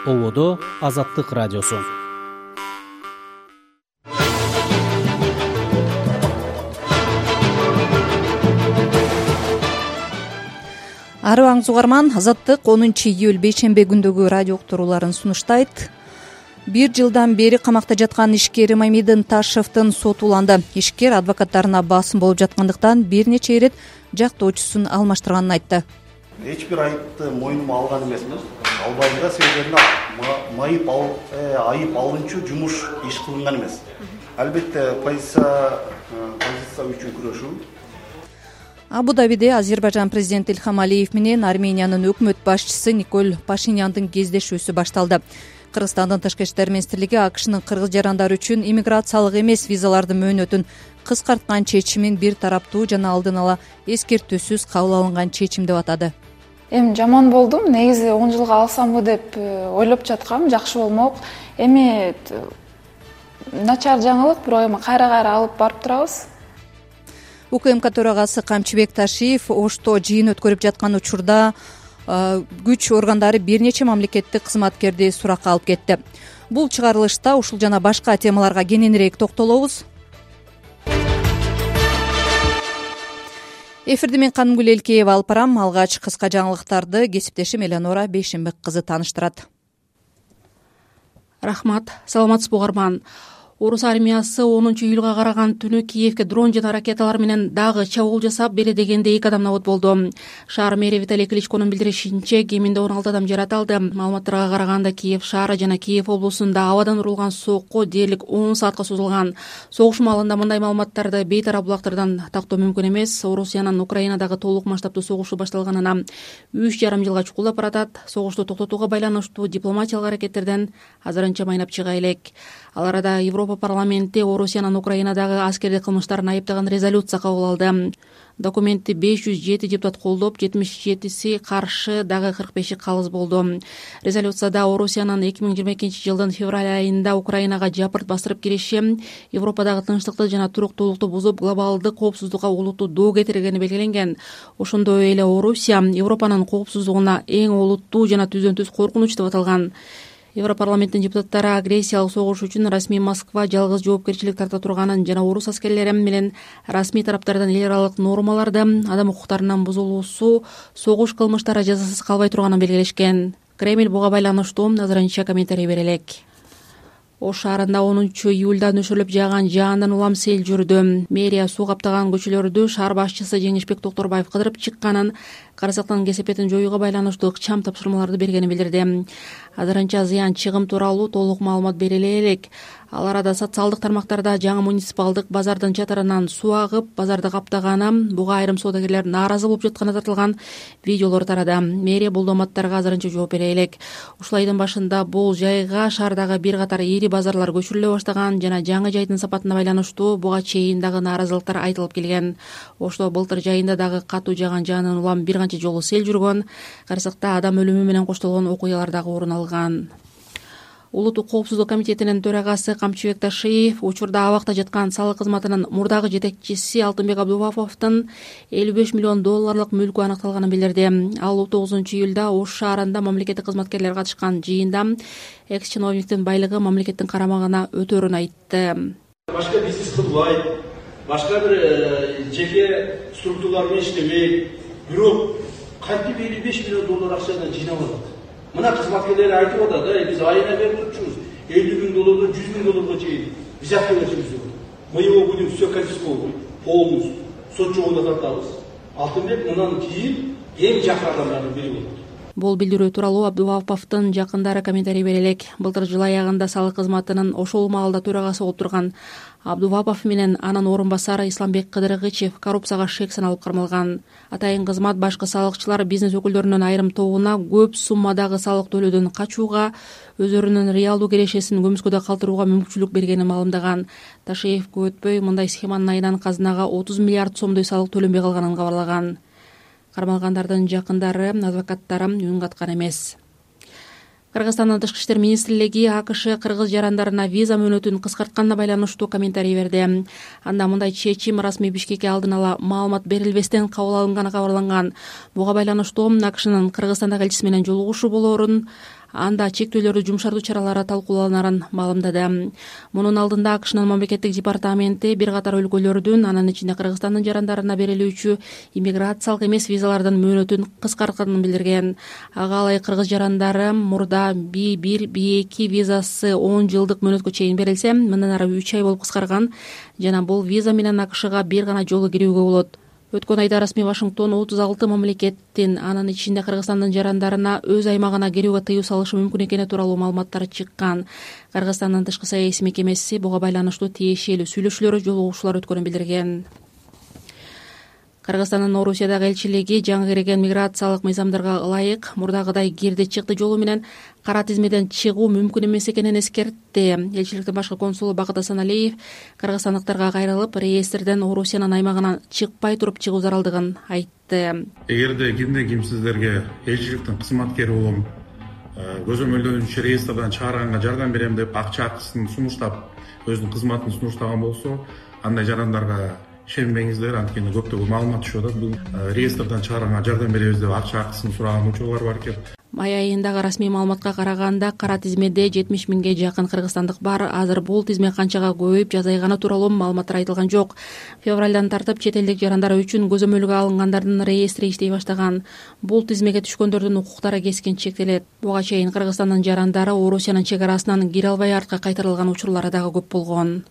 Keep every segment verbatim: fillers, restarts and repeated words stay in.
ободо Азаттык радиосу. Арыбаңыз угарман, Азаттык онунчу июль бейшембе күндөгү радио уктурууларын сунуштайт. Бир жылдан бери камакта жаткан ишкер Мамидин Ташевдин соту уланды. Ишкер адвокаттарына басым болуп жаткандыктан бир нече ирет жактоочусун алмаштырганын айтты. Эч бир айыпты мойнума алган эмесмин. Албайм да, себебинде майып айып алынчу жумуш иш кылынган эмес. Албетте позиция позиция үчүн күрөшүү. Абу-Дабиде Азербайжан президенти Ильхам Алиев менен Армениянын өкмөт башчысы Николь Пашиняндын кездешүүсү башталды. Кыргызстандын тышкы иштер министрлиги АКШнын кыргыз жарандары үчүн иммиграциялык эмес визалардын мөөнөтүн кыскарткан чечимин бир тараптуу жана алдын ала эскертүүсүз кабыл алынган чечим деп атады. Эми жаман болдум. Негизи он жылга алсамбы деп ойлоп жаткам, жакшы болмок. Эми начар жаңылык, бирок эми кайра-кайра алып барып турабыз. УКМК төрагасы Камчыбек Ташиев Ошто жыйын өткөрүп жаткан учурда күч органдары бир нече мамлекеттик кызматкерди суракка алып кетти. Бул чыгарылышта ушул жана башка темаларга кененирээк токтолобуз. Эфирди мен Канымгүл Элкеева алып барам. Алгач кыска жаңылыктарды кесиптешим Элеонора Бейшембек кызы тааныштырат. Рахмат, саламатсызбы угарман. Орус армиясы онунчу июлга караган түнү Киевке дрон жана ракеталар менен дагы чабуул жасап, бери дегенде эки адам набыт болду. Шаар мэри Виталий Кличконун билдиришинче, кеминде он алты адам жаратылды. Маалыматтарга караганда Киев шаары жана Киев облусунда абадан урулган сокко дээрлик он саатка созулган. Согуш маалында мындай маалыматтарды бейтарап булактардан тактоо мүмкүн эмес. Орусиянын Украинадагы толук масштабтуу согушу башталганына үч жарым жылга чукулдап баратат. Согушту токтотууга байланыштуу дипломатиялык аракеттерден азырынча майнап чыга элек. Ал арада Европа парламенти Орусиянын Украинадагы аскердик кылмыштарын айыптаган резолюция кабыл алды. Документти беш жүз жети депутат колдоп, жетимиш жетиси каршы, дагы кырк беши калыс болду. Резолюцияда Орусиянын эки миң жыйырма экинчи жылдын февраль айында Украинага жапырт бастырып кириши, Европадагы тынчтыкты жана туруктуулукту бузуп, глобалдык коопсуздукка олуттуу доо кетиргени белгиленген. Ошондой эле Орусия Европанын коопсуздугуна эң олуттуу жана түздөн-түз коркунуч деп аталган. Европарламенттин депутаттары агрессиялык согуш үчүн расмий Москва жалгыз жоопкерчилик тарта турганын жана орус аскерлери менен расмий тараптардан эл аралык нормаларды, адам укуктарынын бузулуусу, согуш кылмыштары жазасыз калбай турганын белгилешкен. Кремль буга байланыштуу азырынча комментарий бере элек. Ош шаарында онунчу июлда нөшөрлөп жааган жаандан улам сел жүрдү. Мэрия суу каптаган көчөлөрдү шаар башчысы Жеңишбек Токторбаев кыдырып чыкканын, карасактын кесепетин жоюуга байланыштуу ыкчам тапшырмаларды бергенин билдирди. Азырынча зыян чыгым тууралуу толук маалымат бериле элек. Ал арада социалдык тармактарда жаңы муниципалдык базардын чатырынан суу агып, базарды каптаганы, буга айрым соодагерлер нааразы болуп жатканы тартылган видеолор тарады. Мэрия бул доматтарга азырынча жооп бере элек. Ушул айдын башында бул жайга шаардагы бир катар ири базарлар көчүрүлө баштаган жана жаңы жайдын сапатына байланыштуу буга чейин дагы нааразылыктар айтылып келген. Ошто былтыр жайында дагы катуу жааган жаандан улам бир канча жолу сел жүргөн, карасакта адам өлүмү менен коштолгон окуялар дагы орун алган. Улуттук коопсуздук комитетинин төрагасы Камчыбек Ташиев учурда абакта жаткан салык кызматынын мурдагы жетекчиси Алтынбек Абдуваповдун элүү беш миллион долларлык мүлкү аныкталганын билдирди. Ал он тогузунчу июлда Ош шаарында мамлекеттик кызматкерлер катышкан жыйында экс-чиновниктин байлыгы мамлекеттин карамагына өтөрүн айтты. Башка бизнес кылбайт, башка бир жеке структуралар менен иштебейт, бирок кантип элүү беш миллион доллар акчаны жыйнап алат. Мына кызматкерлер айтып атат, да, биз айына берип турчубуз, элүү миң доллардан жүз миң долларга чейин биз акча беребиз. Мы его будем все конфисковать полностью. Сот жогуна тартабыз. Алтынбек мындан кийин эң жакын адамдардын бири болот. Бул билдирүү тууралуу Абдуваповдун жакындары комментарий бере элек. Былтыр жыл аягында салык кызматынын ошол маалда төрагасы болуп турган Абдувапов менен анын орун басары Исламбек Кыдыргычев коррупцияга шек саналып кармалган. Атайын кызмат башкы салыкчылар бизнес өкүлдөрүнүн айрым тобуна көп суммадагы салык төлөөдөн качууга, өздөрүнүн реалдуу кирешесин көмүскөдө калтырууга мүмкүнчүлүк бергенин маалымдаган. Ташиев көп өтпөй мындай схеманын айынан казынага отуз миллиард сомдой салык төлөнбөй калганын кабарлаган. Кармалгандардын жакындары, адвокаттары үн каткан эмес. Кыргызстандын тышкы иштер министрлиги АКШ кыргыз жарандарына виза мөөнөтүн кыскартканына байланыштуу комментарий берди. Анда мындай чечим расмий Бишкекке алдын ала маалымат берилбестен кабыл алынганы кабарланган. Буга байланыштуу АКШнын Кыргызстандагы элчиси менен жолугушуу болоорун, анда чектөөлөрдү жумшартуу чаралары талкууланарын маалымдады. Мунун алдында АКШнын мамлекеттик департаменти бир катар өлкөлөрдүн, анын ичинде Кыргызстандын жарандарына берилүүчү иммиграциялык эмес визалардын мөөнөтүн кыскартканын билдирген. Ага ылайык кыргыз жарандары мурда би бир би эки визасы он жылдык мөөнөткө чейин берилсе, мындан ары үч ай болуп кыскарган жана бул виза менен АКШга бир гана жолу кирүүгө болот. Өткөн айда расмий Вашингтон отуз алты мамлекеттин, анын ичинде Кыргызстандын жарандарына өз аймагына кирүүгө тыюу салышы мүмкүн экени тууралуу маалыматтар чыккан. Кыргызстандын тышкы саясий мекемеси буга байланыштуу тиешелүү сүйлөшүүлөр, жолугушуулар өткөнүн билдирген. Кыргызстандын Орусиядагы элчилиги жаңы кирген миграциялык мыйзамдарга ылайык мурдагыдай кирди чыкты жолу менен кара тизмеден чыгуу мүмкүн эмес экенин эскертти. Элчиликтин башкы консулу Бакыт Асаналиев кыргызстандыктарга кайрылып, реестрден Орусиянын аймагынан чыкпай туруп чыгуу заралдыгын айтты. Эгерде кимден ким сиздерге элчиликтин кызматкери болом, көзөмөлдөнүүчү реестрден чыгарганга жардам берем деп акча акысын сунуштап, өзүнүн кызматын сунуштаган болсо, андай жарандарга ишенбеңиздер, анткени көптөгөн маалымат түшүп атат. Бул реестрден чыгарганга жардам беребиз деп акча акысын сураган учурлар бар экен. Май айындагы расмий маалыматка караганда кара тизмеде жетимиш миңге жакын кыргызстандык бар. Азыр бул тизме канчага көбөйүп жазайганы тууралуу маалыматтар айтылган жок. Февралдан тартып чет элдик жарандар үчүн көзөмөлгө алынгандардын реестри иштей баштаган. Бул тизмеге түшкөндөрдүн укуктары кескин чектелет. Буга чейин Кыргызстандын жарандары Орусиянын чегарасынан кире албай артка кайтарылган учурлары дагы көп болгон.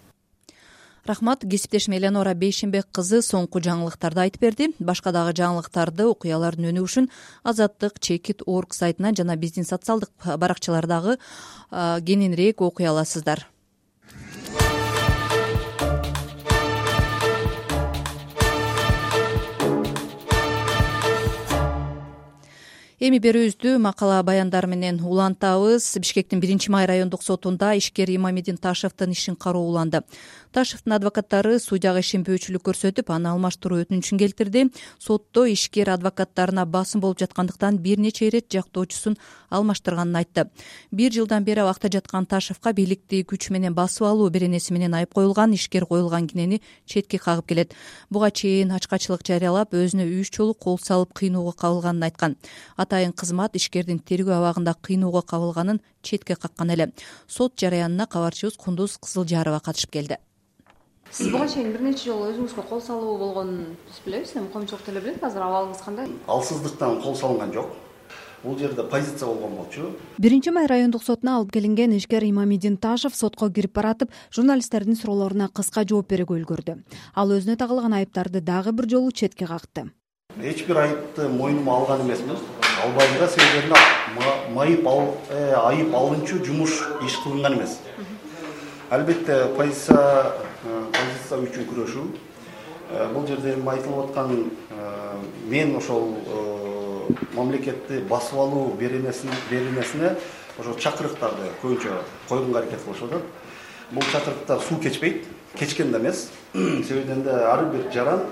Рахмат. Кесиптешим Эленора Бейшенбек кызы соңку жаңылыктарды айтып берди. Башка дагы жаңылыктарды, окуялардын өнүгүшүн үчүн Азаттык чекит точка орг сайтынан жана биздин социалдык баракчалардагы кененирээк окуй аласыздар. Эми берүүбүздү макала баяндар менен улантабыз. Бишкектин биринчи май райондук сотунда ишкер Имамидин Ташевдин ишин кароо уланды. Ташевдин адвокаттары судьяга ишенбөөчүлүк көрсөтүп, аны алмаштыруу өтүнүчүн келтирди. Сотто ишкер адвокаттарына басым болуп жаткандыктан бир нече ирет жактоочусун алмаштырганын айтты. Бир жылдан бери абакта жаткан Ташевга бийликти күч менен басып алуу беренеси менен айып коюлган, ишкер коюлган кинени четке кагып келет. Буга чейин ачкачылык жарыялап, өзүнө үч жолу кол салып кыйноого кабылганын айткан. Атайын кызмат ишкердин тергөө абагында кыйноого кабылганын четке каккан эле. Сот жараянына кабарчыбыз Кундуз Кызылжарова катышып келди. Сиз буга чейин бир нече жолу өзүңүзгө кол салуу болгонун биз билебиз. Эми коомчулук деле билет. Азыр абалыңыз кандай? Алсыздыктан кол салынган жок. Бул жерде позиция болгон болчу. Биринчи май райондук сотуна алып келинген ишкер Имамидин Ташев сотко кирип баратып, журналисттердин суроолоруна кыска жооп берүүгө үлгүрдү. Ал өзүнө тагылган айыптарды дагы бир жолу четке какты. Эч бир айыпты мойнума алган эмесмин. Албайм да, себебинде майып айып алынчу жумуш иш кылынган эмес. Албетте позиция позиция үчүн күрөшүү. Бул жерде айтылып аткан мен ошол мамлекетти басып алуу беренесине ошо чакырыктарды көбүнчө койгонго аракет кылышып атат. Бул чакырыктар суу кечпейт, кечкен да эмес. Себебинде ар бир жаран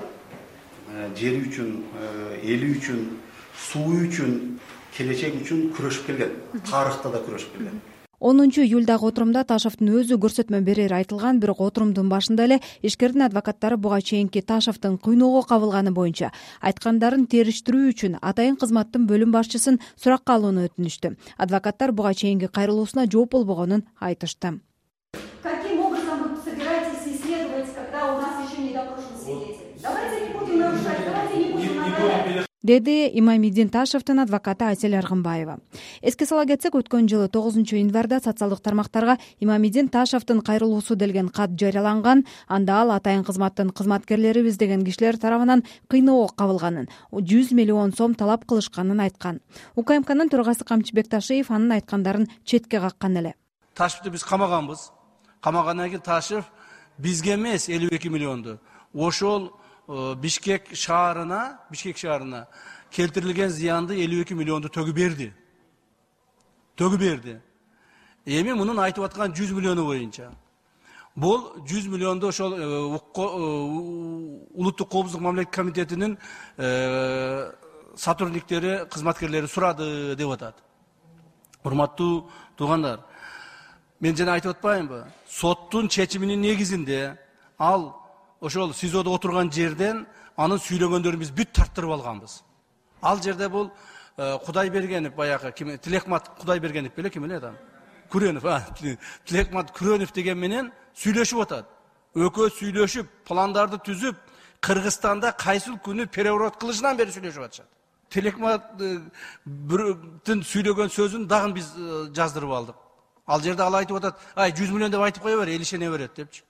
жери үчүн, эли үчүн, суу үчүн, келечек үчүн күрөшүп келген. Тарыхта да күрөшүп келген. онунчу июлдагы отурумда Ташевдин өзү көрсөтмө берери айтылган, бирок отурумдун башында эле ишкердин адвокаттары буга чейинки Ташевдин кыйноого кабылганы боюнча айткандарын териштирүү үчүн атайын кызматтын бөлүм башчысын суракка алууну өтүнүштү. Адвокаттар буга чейинки кайрылуусуна жооп болбогонун айтышты. Каким образом вы собираетесь исследовать, когда у нас еще не допрошен свидетель? Давайте не будем нарушать, давайте не будем наказать. Деди Имамидин Ташевдин адвокаты Айсель Аргынбаева. Эске сала кетсек, өткөн жылы тогузунчу январда социалдык тармактарга Имамидин Ташевдин кайрылуусу делген кат жарыяланган. Анда ал атайын кызматтын кызматкерлерибиз деген кишилер тарабынан кыйноого кабылганын, жүз миллион сом талап кылышканын айткан. УКМКнын төрагасы Камчыбек Ташиев анын айткандарын четке каккан эле. Ташевди биз камаганбыз. Камагандан кийин Ташев бизге эмес элүү эки миллионду ошол Бишкек шаарына, Бишкек шаарына келтирилген зыянды элүү эки миллионду төгүп берди. Төгүп берди. Эми мунун айтып аткан жүз миллиону боюнча. Бул жүз миллионду ошол улуттук коопсуздук мамлекеттик комитетинин сотрудниктери, кызматкерлери сурады деп атат. Урматтуу туугандар, мен жана айтып атпаймынбы? Соттун чечиминин негизинде ал ошол СИЗОдо отурган жерден анын сүйлөгөндөрүн биз бүт тарттырып алганбыз. Ал жерде бул Кудайбергенов баягы ким Тилекмат Кудайбергенов беле ким эле адам? Күрөнов, а, Тилекмат Күрөнов деген менен сүйлөшүп атат. Экөө сүйлөшүп, пландарды түзүп, Кыргызстанда кайсыл күнү переворот кылышынан бери сүйлөшүп атышат. Телекматтын сүйлөгөн сөзүн дагы биз жаздырып алдык. Ал жерде ал айтып атат, ай жүз миллион деп айтып кое бер, эл ишене берет депчи.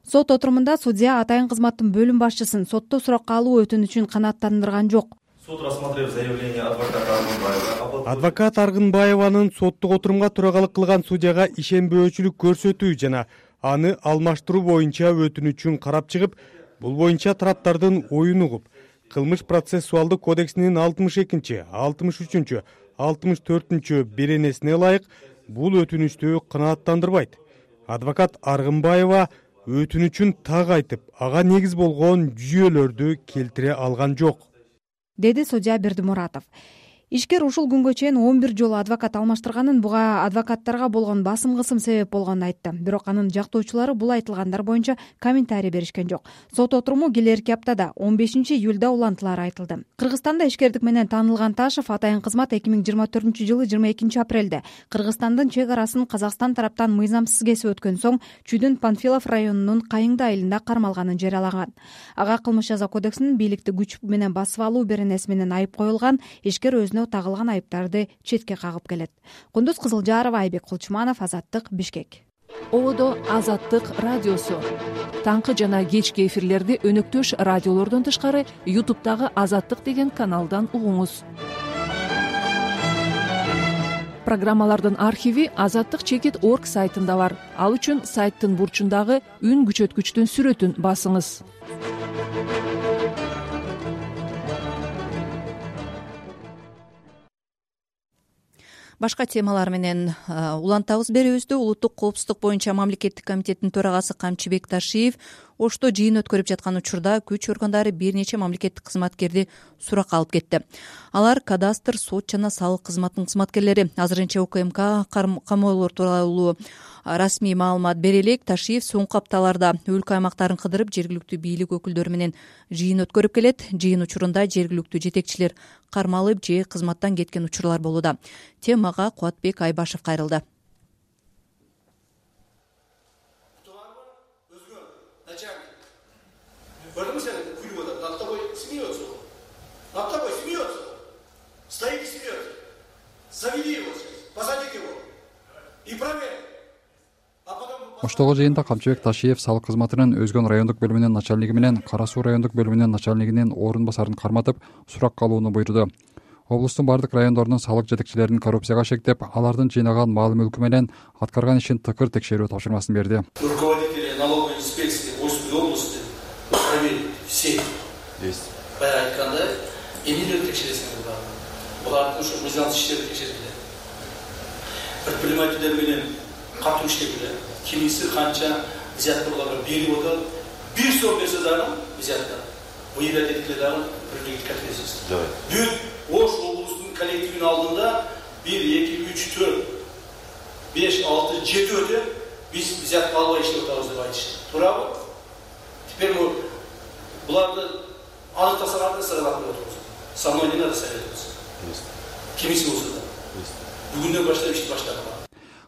Сот отурумунда судья Атайын кызматтын бөлүм башчысын сотто суракка алуу өтүнүчүн канааттандырган жок. Суд, рассмотрев заявление адвоката Аргынбаева. Адвокат Аргынбаеванын соттук отурумга төрагалык кылган судьяга ишенбөөчүлүк көрсөтүү жана аны алмаштыруу боюнча өтүнүчүн карап чыгып, бул боюнча тараптардын оюн угуп, кылмыш процессуалдык кодексинин алтымыш экинчи, алтымыш үчүнчү, алтымыш төртүнчү беренесине ылайык бул өтүнүштү канааттандырбайт. Адвокат Аргынбаева өтүнүчүн так айтып, ага негиз болгон жүйөлөрдү келтире алган жок, деди судья Бердимуратов. Ишкер ушул күнгө чейин он бир жолу адвокат алмаштырганын, буга адвокаттарга болгон басым кысым себеп болгонун айтты. Бирок анын жактоочулары бул айтылгандар боюнча комментарий беришкен жок. Сот отуруму келерки аптада он бешинчи июлда улантылары айтылды. Кыргызстанда ишкердик менен таанылган Ташев Атайын кызмат эки миң жыйырма төртүнчү жылы жыйырма экинчи апрелде Кыргызстандын чек арасын Казакстан тараптан мыйзамсыз кесип өткөн соң Чүйдүн Панфилов районунун Кайыңды айылында кармалганын жарыялаган. Ага кылмыш жаза кодексинин бийликти күч менен басып алуу беренеси менен айып коюлган. Ишкер өзүнө тагылган айыптарды четке кагып келет. Кундуз Кызылжарова, Айбек Кулчуманов, Азаттык, Бишкек. Ободо Азаттык радиосу. Таңкы жана кечки эфирлерди өнөктөш радиолордон тышкары ютубтагы Азаттык деген каналдан угуңуз. Программалардын архиви азаттык чекит точка орг сайтында бар. Ал үчүн сайттын бурчундагы үн күчөткүчтүн сүрөтүн басыңыз. Башка темалар менен улантабыз берүүбүздү. Улуттук коопсуздук боюнча мамлекеттик комитеттин төрагасы Камчыбек Ташиев Ошто жыйын өткөрүп жаткан учурда күч органдары бир нече мамлекеттик кызматкерди суракка алып кетти. Алар кадастр, сот жана салык кызматынын кызматкерлери. Азырынча УКМК камоолор тууралуу расмий маалымат бере элек. Ташиев соңку апталарда өлкө аймактарын кыдырып, жергиликтүү бийлик өкүлдөрү менен жыйын өткөрүп келет. Жыйын учурунда жергиликтүү жетекчилер кармалып же кызматтан кеткен учурлар болууда. Темага Кубатбек Айбашев кайрылды. Потому что курю вот над тобой смеется. Над тобой смеется. Стоит и смеется. Заведи его сейчас, посади его. И проверь. А потом... Оштогу жыйында Камчыбек Ташиев салык кызматынын Өзгөн райондук бөлүмүнүн начальниги менен Кара Суу райондук бөлүмүнүн начальнигинин орун басарын карматып, суракка алууну буйруду. Облустун бардык райондорунун салык жетекчилерин коррупцияга шектеп, алардын жыйнаган маал мүлкү менен аткарган ишин тыкыр текшерүү тапшырмасын берди. Руководители налоговой инспекции Ошской области проверить все. Есть. Айтканда эмнелерди текшересиңер буларды? Булардын ушу мыйзамсыз иштерди текшергиле. Предпринимательдер менен катуу иштегиле. Кимиси канча взятка буларга берип атат. Бир сом берсе дагы взятка. Выявлять эткиле дагы привлекать к ответственности. Давай. Бүт Ош облустунун коллективинин алдында бир, эки, үч, төрт, беш, алты, жети өтө биз взятка албай иштеп атабыз деп айтышты. Туурабы? Теперь мы буларды аныктасак саралап отурабыз. Со мной не надо советоваться. Кимиси болсо да. Бүгүндөн баштап ишти баштаган.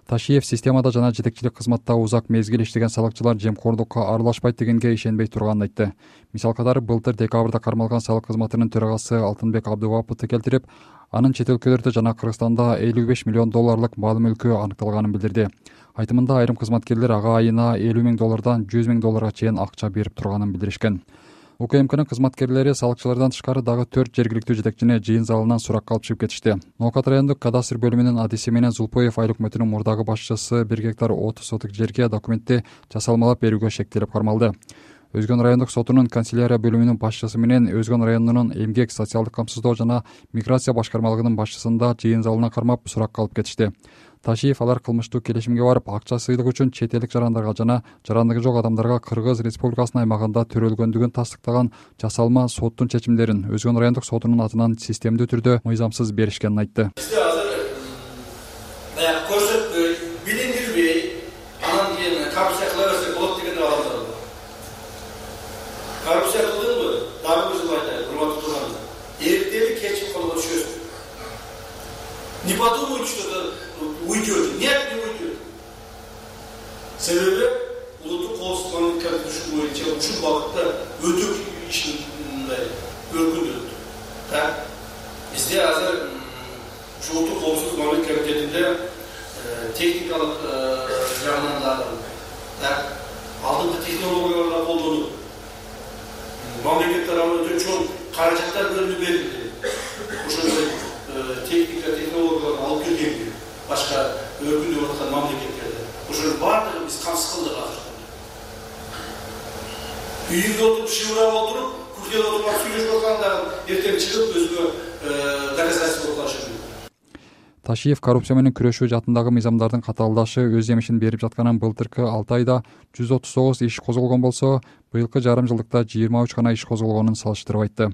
Ташиев системада жана жетекчилик кызматта узак мезгил иштеген салыкчылар жемкорлукка аралашпайт дегенге ишенбей турганын айтты. Мисал катары былтыр декабрда кармалган салык кызматынын төрагасы Алтынбек Абдываповду келтирип, анын чет өлкөлөрдө жана Кыргызстанда элүү беш миллион долларлык маал мүлкү аныкталганын билдирди. Айтымында айрым кызматкерлер ага айына элүү миң доллардан жүз миң долларга чейин акча берип турганын билдиришкен. УКМКнын кызматкерлери салыкчылардан тышкары дагы төрт жергиликтүү жетекчини жыйын залынан суракка алып чыгып кетишти. Ноокат райондук кадастр бөлүмүнүн адиси менен Зулпоев айыл өкмөтүнүн мурдагы башчысы бир гектар отуз сотук жерге документти жасалмалап берүүгө шектелип кармалды. Өзгөн райондук сотунун канцелярия бөлүмүнүн башчысы менен Өзгөн районунун эмгек, социалдык камсыздоо жана миграция башкармалыгынын башчысын да жыйын залына кармап суракка алып кетишти. Ташиев алар кылмыштуу келишимге барып, акча сыйлык үчүн чет элдик жарандарга жана жарандыгы жок адамдарга Кыргыз Республикасынын аймагында төрөлгөндүгүн тастыктаган жасалма соттун чечимдерин Өзгөн райондук сотунун атынан системдүү түрдө мыйзамсыз беришкенин айтты. Бизде азыр баягы көрсөтпөй, билиндирбей, анан кийин коррупция кыла берсе болот деген адамдар бар. Коррупция кылдыңбы? Дагы бир жыл айтайын, урматтуу туугандар. Эртели кечип колго түшөсүң. подумают, что это уйдет. Нет, не уйдет. Себеби улуттук коопсуздук комитети боюнча ушул багытта өтө ишин мындай өркүндөттү. Так, бизде азыр ушул улуттук коопсуздук комитетинде техникалык жагынан дагы, так, алдыңкы технологияларды колдонуп, мамлекет тарабынан өтө чоң каражаттар бөлүнүп берилди. Ошондой техника, технологияларды алып келгенге башка өркүндөп аткан мамлекеттерде. Ошонун баардыгын биз камсыз кылдык азыр. Үйүндө отуруп, шыбырап отуруп, күркеде отуруп сүйлөшүп аткандарын эртең чыгып өзгө доказательство кылышы мүмкүн. Ташиев коррупция менен күрөшүү жаатындагы мыйзамдардын катаалдашы өз жемишин берип жатканын былтыркы алты айда жүз отуз тогуз иш козголгон болсо, быйылкы жарым жылдыкта жыйырма үч гана иш козголгонун салыштырып айтты.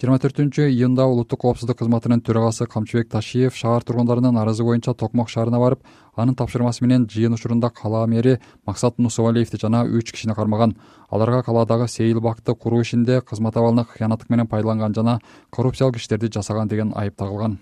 жыйырма төртүнчү июнда улуттук коопсуздук кызматынын төрагасы Камчыбек Ташиев шаар тургундарынын арызы боюнча Токмок шаарына барып, анын тапшырмасы менен жыйын учурунда кала мэри Максат Нусубалиевди жана үч кишини кармаган. Аларга каладагы сейил бакты куруу ишинде кызмат абалына кыянаттык менен пайдаланган жана коррупциялык иштерди жасаган деген айып тагылган.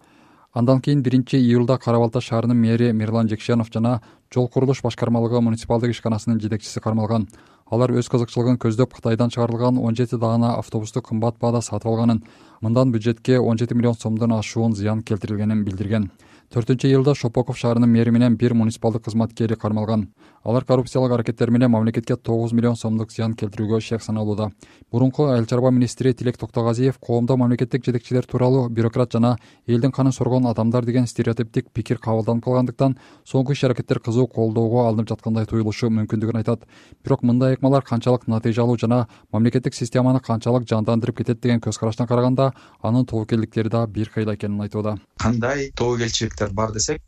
Андан кийин биринчи июлда Кара Балта шаарынын мэри Мирлан Жекшенов жана жол курулуш башкармалыгы муниципалдык ишканасынын жетекчиси кармалган. Алар өз кызыкчылыгын көздөп Кытайдан чыгарылган он жети даана автобусту кымбат баада сатып алганын, мындан бюджетке он жети миллион сомдон ашуун зыян келтирилгенин билдирген. төртүнчү июлда Шопоков шаарынын мэри менен бир муниципалдык кызматкери кармалган. Алар коррупциялык аракеттер менен мамлекетке тогуз миллион сомдук зыян келтирүүгө шек саналууда. Мурунку айыл чарба министри Тилек Токтогазиев коомдо мамлекеттик жетекчилер тууралуу бюрократ жана элдин канын соргон адамдар деген стереотиптик пикир кабылданып калгандыктан соңку иш-аракеттер кызуу колдоого алынып жаткандай туюлушу мүмкүндүгүн айтат. Бирок мындай ыкмалар канчалык натыйжалуу жана мамлекеттик системаны канчалык жандандырып кетет деген көз караштан караганда, анын тобокелдиктери да бир кыйла экенин айтууда. Кандай тобокелчиликтер бар десек,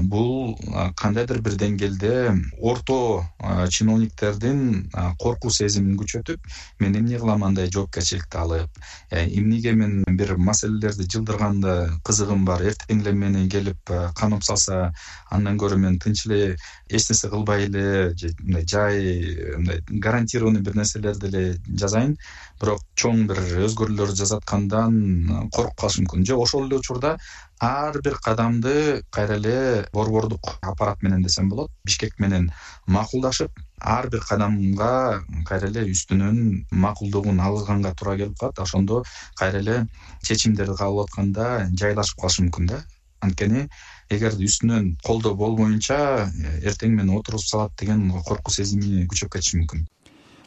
бул кандайдыр бир деңгээлде орто чиновниктердин коркуу сезимин күчөтүп, мен эмне кылам андай жоопкерчиликти алып, эмнеге мен бир маселелерди жылдырганда кызыгым бар, эртең эле мени келип канып салса, андан көрө мен тынч эле эч нерсе кылбай эле мындай жай мындай гарантированный бир нерселерди эле жазайын, бирок чоң бир өзгөрүүлөр жасаткандан коркуп калыш мүмкүн. Же ошол эле учурда ар бир кадамды кайра эле борбордук аппарат менен десем болот, Бишкек менен макулдашып, ар бир кадамга кайра эле үстүнөн макулдугун алганга туура келип калат. Ошондо кайра эле чечимдерди кабыл атканда жайлашып калышы мүмкүн да. Анткени эгерде үстүнөн колдоо болбоюнча эртең мени отургузуп салат деген коркуу сезими күчөп кетиши мүмкүн.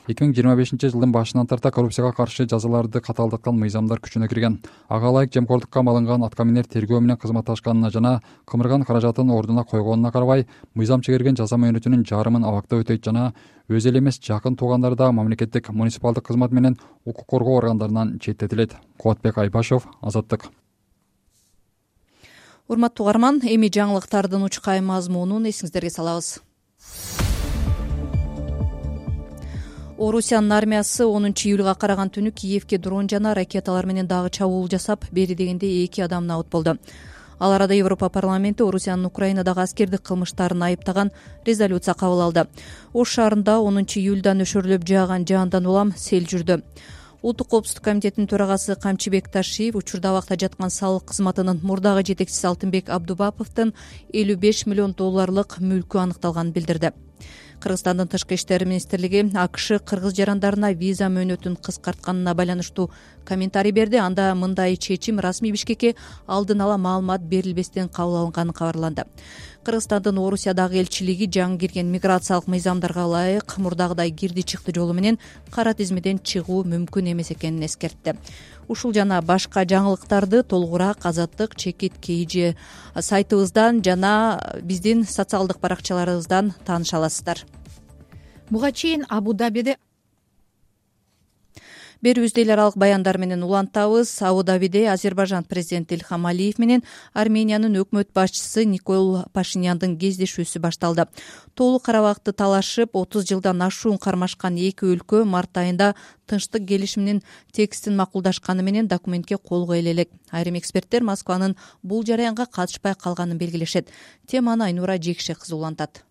эки миң жыйырма бешинчи жылдын башынан тарта коррупцияга каршы жазаларды катаалдаткан мыйзамдар күчүнө кирген. Ага ылайык жемкорлукка малынган аткаминер тергөө менен кызматташканына жана кымырган каражатын ордуна койгонуна карабай, мыйзам чегерген жаза мөөнөтүнүн жарымын абакта өтөйт жана өзү эле эмес жакын туугандары да мамлекеттик муниципалдык кызмат менен укук коргоо органдарынан четтетилет. Кубатбек Айбашев, Азаттык. Урматтуу угарман, эми жаңылыктардын учкай мазмунун эсиңиздерге салабыз. Орусиянын армиясы онунчу июлга караган түнү Киевке дрон жана ракеталар менен дагы чабуул жасап, бери дегенде эки адам набыт болду. Ал арада Европа парламенти Орусиянын Украинадагы аскердик кылмыштарын айыптаган резолюция кабыл алды. Ош шаарында онунчу июлдан өшөрлөп жааган жаандан улам сел жүрдү. Улуттук коопсуздук комитетинин төрагасы Камчыбек Ташиев учурда абакта жаткан салык кызматынын мурдагы жетекчиси Алтынбек Абдубаповдун элүү беш миллион долларлык мүлкү аныкталганын билдирди. Кыргызстандын тышкы иштер министрлиги АКШ кыргыз жарандарына виза мөөнөтүн кыскартканына байланыштуу комментарий берди. Анда мындай чечим расмий Бишкекке алдын ала маалымат берилбестен кабыл алынганы кабарланды. Кыргызстандын Орусиядагы элчилиги жаңы кирген миграциялык мыйзамдарга ылайык мурдагыдай кирди чыкты жолу менен кара тизмеден чыгуу мүмкүн эмес экенин эскертти. Ушул жана башка жаңылыктарды толугураак Азаттык чекит kg сайтыбыздан жана биздин социалдык баракчаларыбыздан тааныша аласыздар. Буга чейин Абу-Дабиде Берүүбүздө эл аралык баяндар менен улантабыз. Абу-Дабиде Азербайжан президенти Ильхам Алиев менен Армениянын өкмөт башчысы Никол Пашиняндын кездешүүсү башталды. Тоолуу Карабакты талашып, отуз жылдан ашуун кармашкан эки өлкө март айында тынчтык келишиминин текстин макулдашканы менен документке кол коюла элек. Айрым эксперттер Москванын бул жараянга катышпай калганын белгилешет. Теманы Айнура Жекше кызы улантат.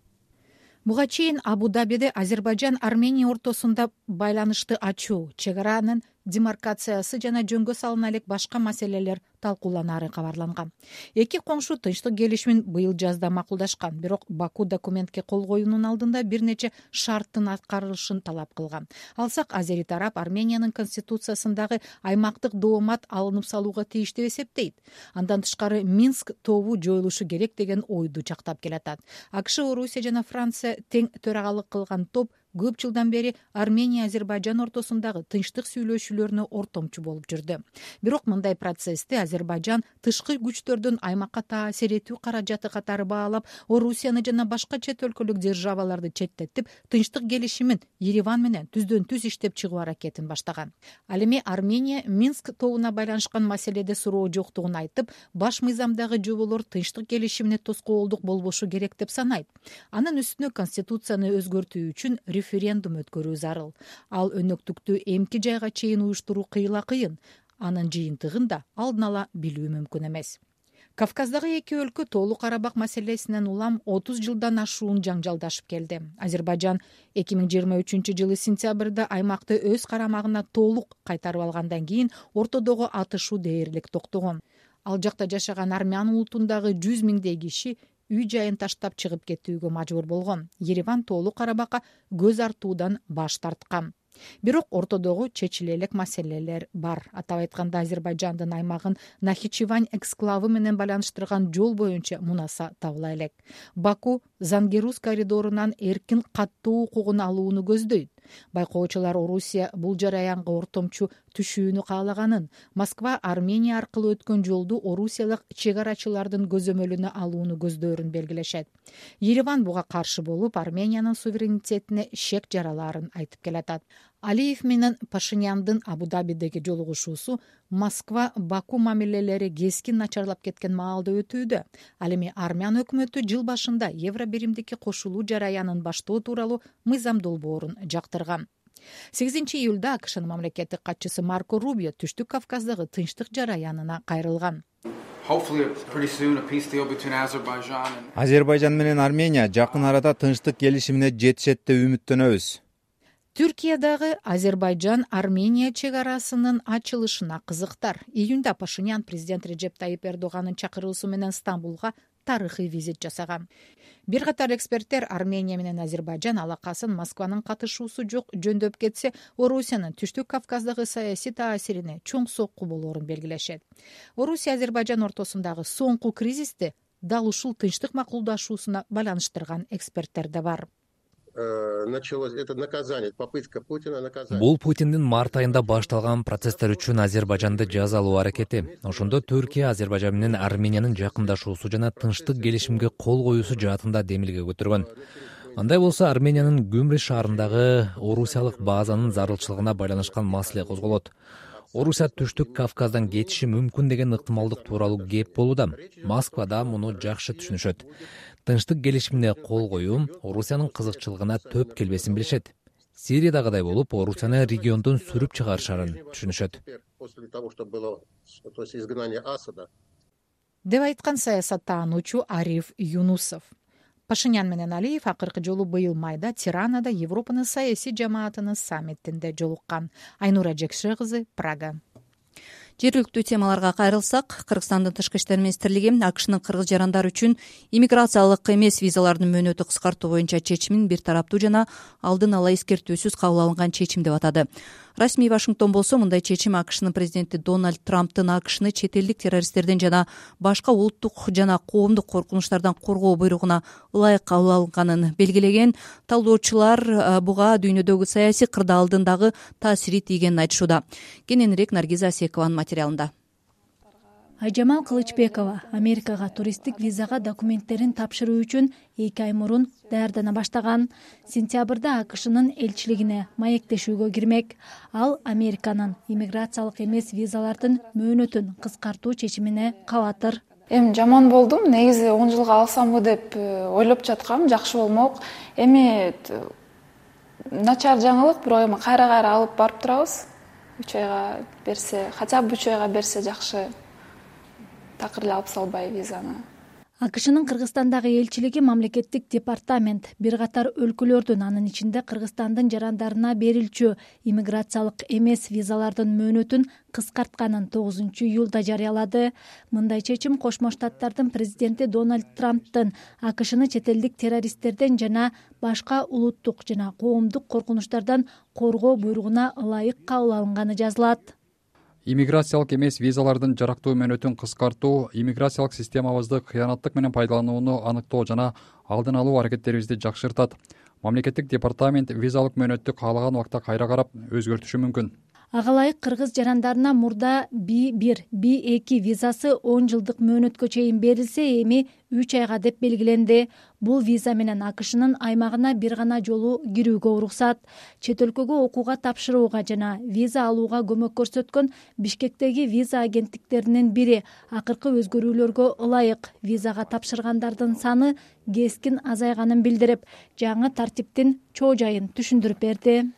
Буга чейин Абу-Дабиде Азербайжан Армения ортосунда байланышты ачуу, чек аранын демаркациясы жана жөнгө салына элек башка маселелер талкууланары кабарланган. Эки коңшу тынчтык келишимин быйыл жазда макулдашкан, бирок Баку документке кол коюунун алдында бир нече шарттын аткарылышын талап кылган. Алсак, азери тарап Армениянын конституциясындагы аймактык доомат алынып салууга тийиш деп эсептейт. Андан тышкары Минск тобу жоюлушу керек деген ойду жактап келатат. АКШ, Орусия жана Франция тең төрагалык кылган топ көп жылдан бери Армения, Азербайжан ортосундагы тынчтык сүйлөшүүлөрүнө ортомчу болуп жүрдү. Бирок мындай процессти Азербайжан тышкы күчтөрдүн аймакка таасир этүү каражаты катары баалап, Орусияны жана башка чет өлкөлүк державаларды четтетип, тынчтык келишимин Ереван менен түздөн түз иштеп чыгуу аракетин баштаган. Ал эми Армения Минск тобуна байланышкан маселеде суроо жоктугун айтып, баш мыйзамдагы жоболор тынчтык келишимине тоскоолдук болбошу керек деп санайт. Анын үстүнө конституцияны өзгөртүү үчүн референдум өткөрүү зарыл. Ал өнөктүктү эмки жайга чейин уюштуруу кыйла кыйын. Анын жыйынтыгын да алдын ала билүү мүмкүн эмес. Кавказдагы эки өлкө Тоолуу Карабак маселесинен улам отуз жылдан ашуун жаңжалдашып келди. Азербайжан эки миң жыйырма үчүнчү жылы сентябрда аймакты өз карамагына толук кайтарып алгандан кийин ортодогу атышуу дээрлик токтогон. Ал жакта жашаган армян улутундагы жүз миңдей киши үй жайын таштап чыгып кетүүгө мажбур болгон. Ереван Тоолуу Карабакка көз артуудан баш тарткан. Бирок ортодогу чечиле элек маселелер бар. Атап айтканда, Азербайжандын аймагын Нахичевань эксклавы менен байланыштырган жол боюнча мунаса табыла элек. Баку Зангерус коридорунан эркин каттоо укугун алууну көздөйт. Байкоочулар Орусия бул жараянга ортомчу түшүүнү каалаганын, Москва Армения аркылуу өткөн жолду орусиялык чек арачылардын көзөмөлүнө алууну көздөрүн белгилешет. Ереван буга каршы болуп, Армениянын суверенитетине шек жараларын айтып келатат. Алиев менен Пашиняндын Абу-Дабидеги жолугушуусу Москва-Баку мамилелери кескин начарлап кеткен маалда өтүүдө. Ал эми армян өкмөтү жыл башында Евробиримдикке кошулуу жараянын баштоо тууралуу мыйзам долбоорун жактырган. сегизинчи июлда АКШнын мамлекеттик катчысы Марко Рубио Түштүк Кавказдагы тынчтык жараянына кайрылган. Азербайжан менен Армения жакын арада тынчтык келишимине жетишет деп үмүттөнөбүз. Түркиядагы Азербайжан-Армения чек арасынын ачылышына кызыктар. Июнда Пашинян президент Режеп Тайип Эрдоганын чакыруусу менен Стамбулга тарыхый визит жасаган. Бир катар эксперттер Армения менен Азербайжан алакасын Москванын катышуусу жок жөндөп кетсе, Орусиянын Түштүк Кавказдагы саясий таасирине чоң сокку болоорун белгилешет. Орусия Азербайжан ортосундагы соңку кризисти дал ушул тынчтык макулдашуусуна байланыштырган эксперттер да бар. Бул Путиндин март айында башталган процесстер үчүн Азербайжанды жазалоо аракети. Ошондо Түркия Азербайжан менен Армениянын жакындашуусу жана тынчтык келишимге кол коюусу жаатында демилге көтөргөн. Андай болсо Армениянын Гюмри шаарындагы орусиялык базанын зарылчылыгына байланышкан маселе козголот. Орусия Түштүк Кавказдан кетиши мүмкүн деген ыктымалдык тууралуу кеп болууда. Москва да муну жакшы түшүнүшөт. Тынчтык келишимине кол коюу Орусиянын кызыкчылыгына төп келбесин билишет. Сириядагыдай болуп, Орусияны региондон сүрүп чыгарышарын түшүнүшөт. Деп айткан саясаттануучу Ариф Юнусов. Пашинян менен Алиев акыркы жолу быйыл майда Тиранада Европанын саясий жамаатынын саммитинде жолуккан. Айнура Жекше кызы, Прага. Жергиликтүү темаларга кайрылсак, Кыргызстандын тышкы иштер министрлиги АКШнын кыргыз жарандар үчүн иммиграциялык эмес визалардын мөөнөтү кыскартуу боюнча чечимин бир тараптуу жана алдын ала эскертүүсүз кабыл алынган чечим деп атады. Расмий Вашингтон болсо мындай чечим АКШнын президенти Дональд Трамптын АКШны чет элдик террористтерден жана башка улуттук жана коомдук коркунучтардан коргоо буйругуна ылайык кабыл алынганын белгилеген. Талдоочулар буга дүйнөдөгү саясий кырдаалдын дагы таасири тийгенин айтышууда. Кененирээк Наргиза Асекованын материалында. Айжамал Кылычбекова Америкага туристтик визага документтерин тапшыруу үчүн эки ай мурун даярдана баштаган. Сентябрда АКШнын элчилигине маектешүүгө кирмек. Ал Американын иммиграциялык эмес визалардын мөөнөтүн кыскартуу чечимине кабатыр. Эми жаман болдум. Негизи он жылга алсамбы деп ойлоп жаткам, жакшы болмок. Эми начар жаңылык, бирок эми кайра-кайра алып барып турабыз. үч айга берсе, хотя бы үч айга берсе жакшы. Такыр эле алып салбай визаны. акшнын Кыргызстандагы элчилиги мамлекеттик департамент бир катар өлкөлөрдүн, анын ичинде Кыргызстандын жарандарына берилчү иммиграциялык эмес визалардын мөөнөтүн кыскартканын тогузунчу июлда жарыялады. Мындай чечим Кошмо Штаттардын президенти Дональд Трамптын акшны чет элдик террористтерден жана башка улуттук жана коомдук коркунучтардан коргоо буйругуна ылайык кабыл алынганы жазылат. Иммиграциялык эмес визалардын жарактуу мөөнөтүн кыскартуу, иммиграциялык системабызды кыянаттык менен пайдаланууну аныктоо жана алдын алуу аракеттерибизди жакшыртат. Мамлекеттик департамент визалык мөөнөттү каалаган убакта кайра карап өзгөртүшү мүмкүн. Ага ылайык кыргыз жарандарына мурда би бир, би эки визасы он жылдык мөөнөткө чейин берилсе, эми үч айга деп белгиленди. Бул виза менен акшнын аймагына бир гана жолу кирүүгө уруксат. Чет өлкөгө окууга тапшырууга жана виза алууга көмөк көрсөткөн Бишкектеги виза агенттиктеринин бири акыркы өзгөрүүлөргө ылайык визага тапшыргандардын саны кескин азайганын билдирип, жаңы тартиптин чоо жайын түшүндүрүп берди.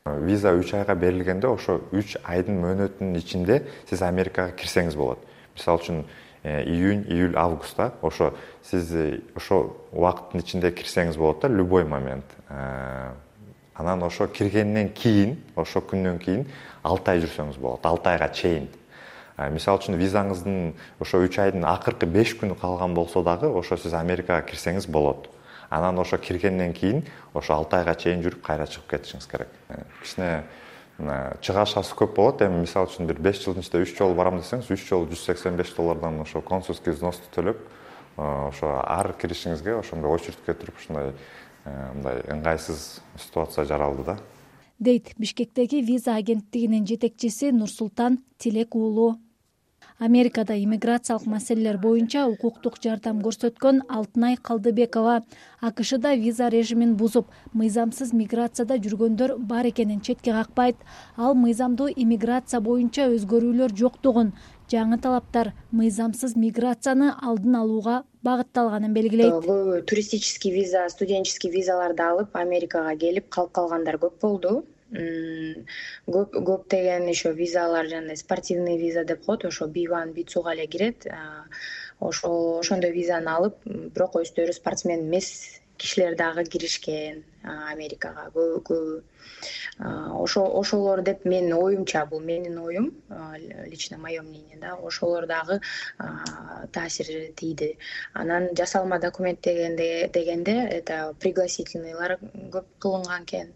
Виза үч айга берилгенде ошо үч айдын мөөнөтүнүн ичинде сиз Америкага кирсеңиз болот. Мисалы үчүн июнь, июль, августта ошо сиз ошо убакыттын ичинде кирсеңиз болот да, любой момент. Анан ошо киргенден кийин, ошо күндөн кийин алты ай жүрсөңүз болот, алты айга чейин. Мисалы үчүн визаңыздын ошо үч айдын акыркы беш күнү калган болсо дагы ошо сиз Америкага кирсеңиз болот. Анан ошо киргенден кийин ошо алты айга чейин жүрүп кайра чыгып кетишиңиз керек. Кичине чыгашасы көп болот. Эми мисалы үчүн бир беш жылдын ичинде үч жолу барам десеңиз, үч жолу жүз сексен беш доллардан ошо консульский взносты төлөп, ошо ар киришиңизге ошондой очередке туруп ушундай мындай ыңгайсыз ситуация жаралды да. Дейт Бишкектеги виза агенттигинин жетекчиси Нурсултан Тилек уулу. Америкада иммиграциялык маселелер боюнча укуктук жардам көрсөткөн Алтынай Калдыбекова акшда виза режимин бузуп, мыйзамсыз миграцияда жүргөндөр бар экенин четке какпайт. Ал мыйзамдуу иммиграция боюнча өзгөрүүлөр жоктугун, жаңы талаптар мыйзамсыз миграцияны алдын алууга багытталганын белгилейт. Туристический виза, студенческий визаларды алып Америкага келип калып калгандар көп болду. Көп көптөгөн ошо визалар жана спортивный виза деп коет, ошо би один, би два эле кирет. Ошо ошондой визаны алып, бирок өздөрү спортсмен эмес кишилер дагы киришкен Америкага. Ошо ошолор деп менин оюмча, бул менин оюм, лично мое мнение да, ошолор дагы таасир тийди. Анан жасалма документ дегенде дегенде это пригласительныйлар көп кылынган экен.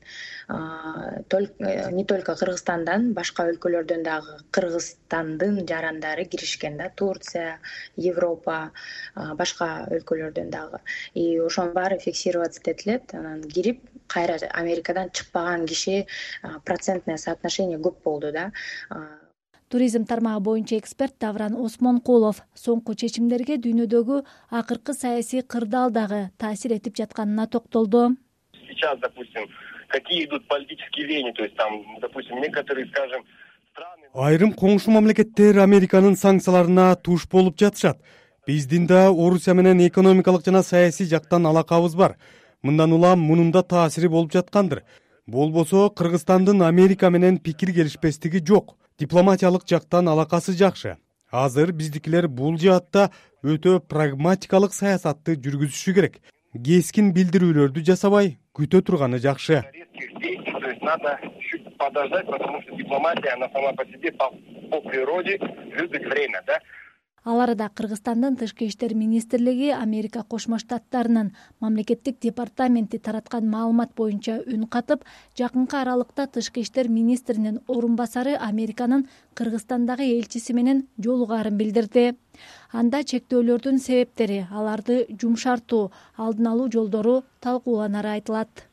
Не только Кыргызстандан, башка өлкөлөрдөн дагы Кыргызстандын жарандары киришкен да, Турция, Европа, башка өлкөлөрдөн дагы. И ошонун баары фиксироваться этилет, анан кирип кайра Америкадан чыкпаган киши процентное соотношение көп болду да. Туризм тармагы боюнча эксперт Давран Осмонкулов соңку чечимдерге дүйнөдөгү акыркы саясий кырдаал дагы таасир этип жатканына токтолду. Сейчас, допустим, какие идут политические веяния, то есть там, допустим, некоторые, скажем, страны... Айрым коңшу мамлекеттер Американын санкцияларына туш болуп жатышат. Биздин да Орусия менен экономикалык жана саясий жактан алакабыз бар. Мындан улам мунун да таасири болуп жаткандыр. Болбосо Кыргызстандын Америка менен пикир келишпестиги жок. Дипломатиялык жактан алакасы жакшы. Азыр биздикилер бул жаатта өтө прагматикалык саясатты жүргүзүшү керек. Кескин билдирүүлөрдү жасабай, күтө турганы жакшы. То есть надо чуть подождать, потому что дипломатия, она сама по себе, по, по природе, любит время, да? Ал арада Кыргызстандын тышкы иштер министрлиги Америка Кошмо Штаттарынын мамлекеттик департаменти тараткан маалымат боюнча үн катып, жакынкы аралыкта тышкы иштер министринин орун басары Американын Кыргызстандагы элчиси менен жолугаарын билдирди. Анда чектөөлөрдүн себептери, аларды жумшартуу, алдын алуу жолдору талкууланары айтылат.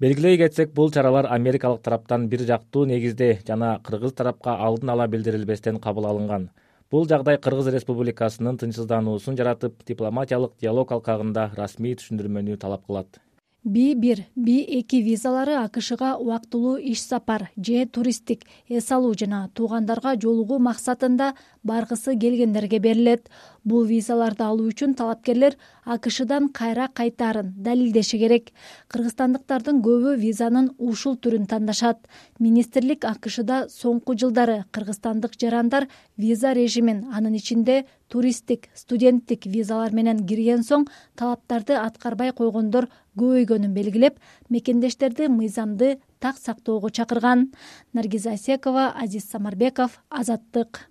Белгилей кетсек, бул чаралар америкалык тараптан бир жактуу негизде жана кыргыз тарапка алдын ала билдирилбестен кабыл алынган. Бул жагдай Кыргыз Республикасынын тынчсыздануусун жаратып, дипломатиялык диалог алкагында расмий түшүндүрмөнү талап кылат. би бир, би эки визалары акшга убактылуу иш сапар же туристтик эс алуу жана туугандарга жолугуу максатында баргысы келгендерге берилет. Бул визаларды алуу үчүн талапкерлер АКШдан кайра кайтаарын далилдеши керек. Кыргызстандыктардын көбү визанын ушул түрүн тандашат. Министрлик АКШда соңку жылдары кыргызстандык жарандар виза режимин, анын ичинде туристтик, студенттик визалар менен кирген соң талаптарды аткарбай койгондор көбөйгөнүн белгилеп, мекендештерди мыйзамды так сактоого чакырган. Наргиза Асекова, Азиз Самарбеков, Азаттык.